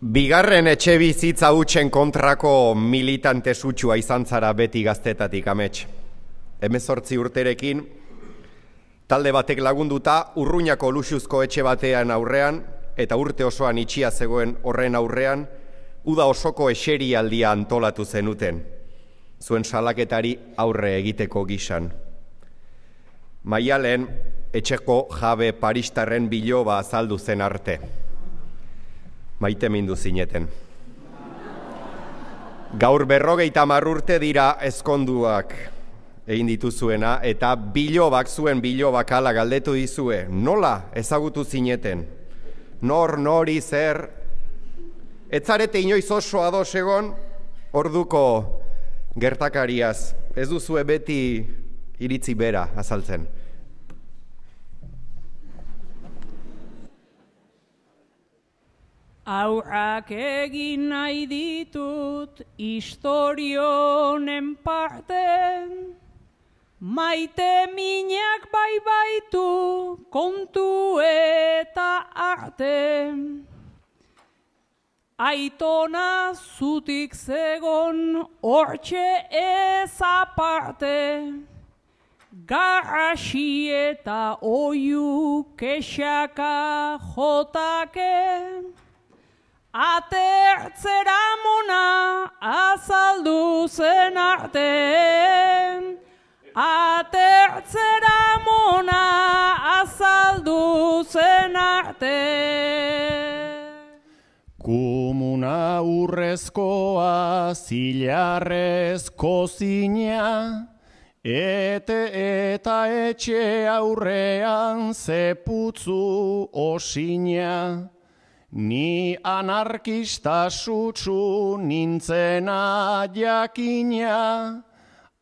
Bigarren etxe bizitza hutsen kontrako militante sutsua izan zara beti gaztetatik, amets. 18 urterekin, talde batek lagunduta Urruñako luxuzko etxe batean aurrean, eta urte osoan itxia zegoen horren aurrean, uda osoko eserialdia antolatu zenuten, zuen salaketari aurre egiteko gisan. Maialen, etxeko jabe paristarren biloba azaldu zen arte. Maite mindu zineten. Gaur 50 urte dira ezkonduak egin dituzuena, eta bilobak zuen bilobak ala galdetu dizue, nola ezagutu zineten? Nori zer? Ez zarete inoiz oso ados egon orduko gertakariaz, ez duzue beti iritzi bera azaltzen. Aurrak egin nahi ditut historionen parte, maite minak bai baitu kontu eta arte. Aitona zutik zegon hortxe ez aparte, garrasi eta oiu kexaka jotake, atertzera mona azaldu zen arte, atertzera mona azaldu zen arte. Kumuna urrezkoa zilarrezko zina, eta etxe aurrean zeputzu osina. Ni anarkista sutsu nintzena jakina,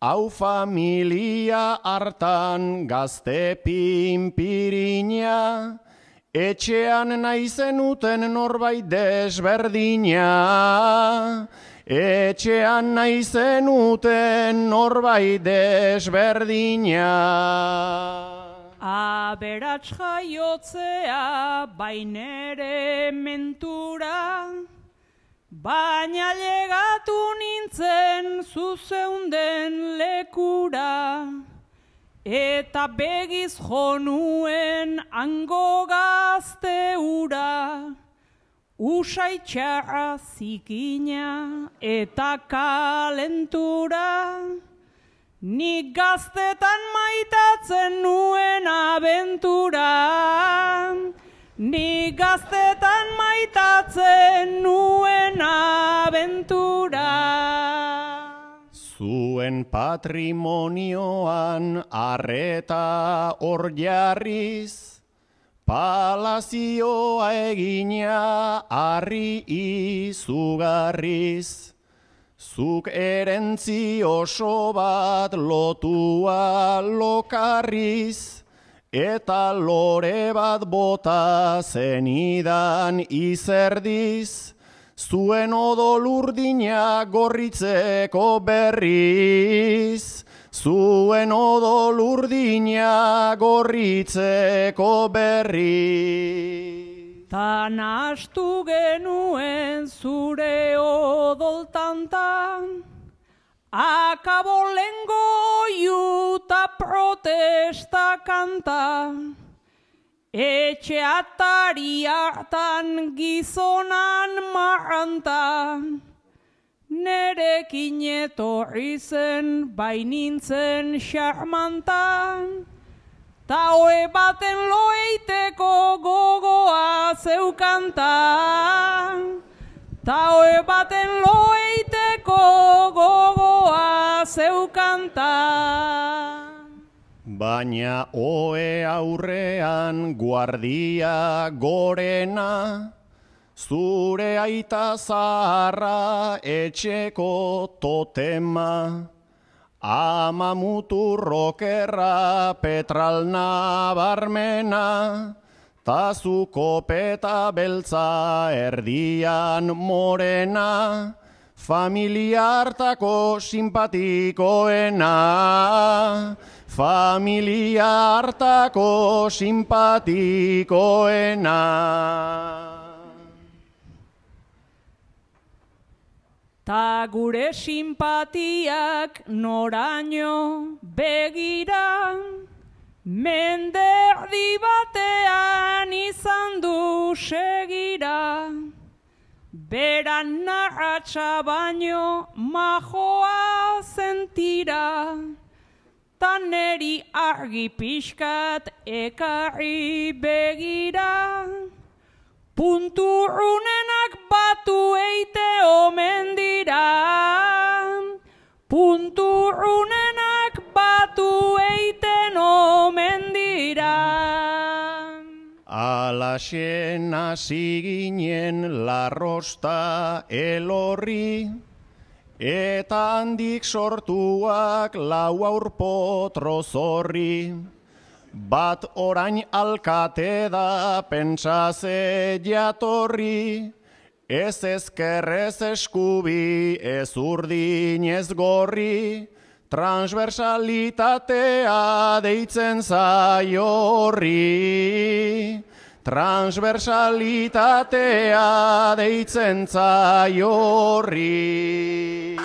hau familia hartan gazte pinpirina, etxean naizenuten norbait desberdina, etxean naizenuten norbait desberdina. Aberats jaiotzea bainere mentura, baina llegatu nintzen zuzeunden lekura, eta begiz jonuen hango gazte ura, usaitxarra zikina eta kalentura, nik gaztetan maitatzen nuen abentura, nik gaztetan maitatzen nuen abentura. Zuen patrimonioan arreta hor jarriz, palazioa egina harri izugarriz. Zuk erentzi oso bat lotua lokarriz, eta lore bat bota zenidan izerdiz, zuen odol urdina gorritzeko berriz, zuen odol urdina gorritzeko berriz. Ta nahastu genuen zure odoltantan, akabo lengo iuta protesta kanta, etxe atari hartan gizonan marranta, nerekin etorri zen bainintzen xarmantan, ta hoe baten loeiteko gogoa zeukanta, ta hoe baten loeiteko gogoa zeukanta. Baina ohe aurrean guardia gorena, zure aita zaharra etxeko totema, ama muturrokerra petralna barmena, ta zu kopeta beltza erdian morena, familia hartako simpatikoena, familia hartako simpatikoena. ta gure simpatiak noraino begira, mende erdi batean izan du segira, beran narratxa baino majoa zentira, ta neri argi pixkat ekarri begira, punturrunenak batu eite omen dira, punturrunenak batu eiten omen dira. Alaxen hasi ginen larrosta elorri, eta handik sortuak lau aurpotro zorri. Bat orain alkate da pentsaze jatorri, ez ezker ez eskubi, ez urdin ez gorri, transversalitatea deitzen zaio horri. Transversalitatea deitzen zaio horri.